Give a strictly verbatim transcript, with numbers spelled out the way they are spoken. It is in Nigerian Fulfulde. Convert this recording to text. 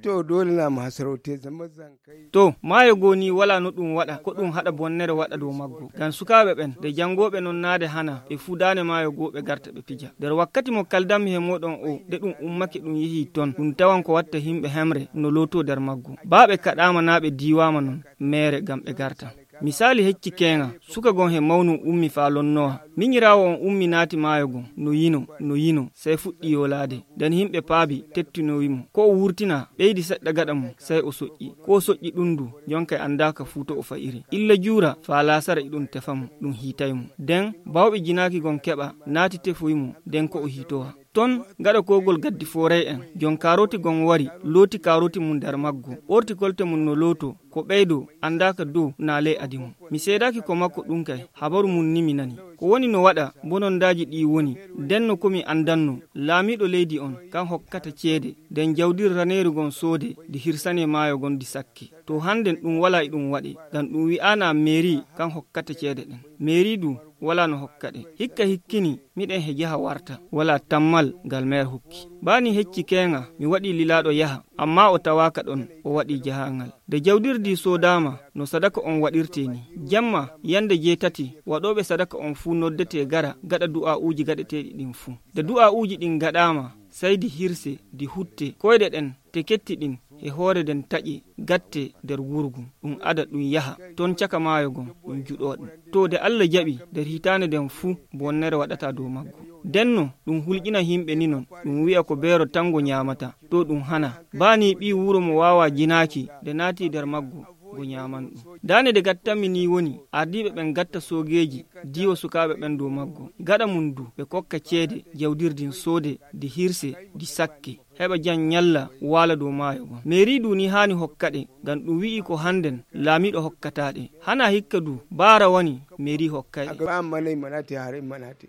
to dole na ma sarauta zama zankai to maayo goni wala no dum wada ko dum hada bonnere wada do maggo gan sukaabe ben de jangobe non naade hana e fudane maayo gobe garta be pija der wakkati mo kaldam he modon o de dum ummake dum yehi ton dum tawan ko watta himbe hemre no loto der maggo baabe kadama naabe diwama non mere gam be garta misali hecci kenga suka gon he mawnu ummi fa lonnoa minyirawo on ummi naati maayo gon no yino no yino sai fuddi yolade den himbe paabi tettino wimo ko wurtina beedi sedda gada mo sai o sojji ko sojji dundu jonka andaka futo o fairi illa jura fa lasara idun tefam dum hitaymo den bawbe jinaaki gon keba naati tefuymo den ko o hitowa ton gada kogol gaddi foray en jon karoti gon wari loti karoti mun dar maggo orti kolte mun no loto ko beydo andaka do na le adimu mi sedaki ko makko dum kay habaru mun nimi nani ko woni no wada bonon daji di woni denno komi andanno laamido leydi on kan hokkata cede den jawdir raneru gon sode di hirsane maayo gon di sakki to handen dum wala idum wadi gan dum wi ana meri kan hokkata cede den meri du wala no hokkade hikka hikkini miden he jaha warta wala tammal gal mer hukki bani hecci kenga mi wadi lilado yaha amma o tawaka don o wadi jahangal de jawdirdi sodama no sadaka on wadirteni jamma yande jetati wadobe sadaka on fu noddete gara gada du'a uji gadete din fu de du'a uji din gadama sai di hirse di hutte koyde den te ketti din e hoore den taƴi gatte der wurgu dum ada dum yaha ton caka maayo gon dum judodum to de Allah jabi der hitane den fu bonnere wadata do maggo denno dum hulgina himbe ni non dum wi'a ko beero tango nyaamata to dum hana bani bi wuro mo wawa jinaaki de naati der maggo go nyaaman dum dane de gattami ni woni ardibe ben gatta sogeji diwo sukaabe ben do maggo gada mundu be kokka cede jawdirdin sode di hirse di sakke heba jan nyalla wala do maayo gon meri du ni hani hokkade gan dum wi'i ko handen laamido hokkataade hana hikka du bara woni meri hokkay aga manay manati hare manati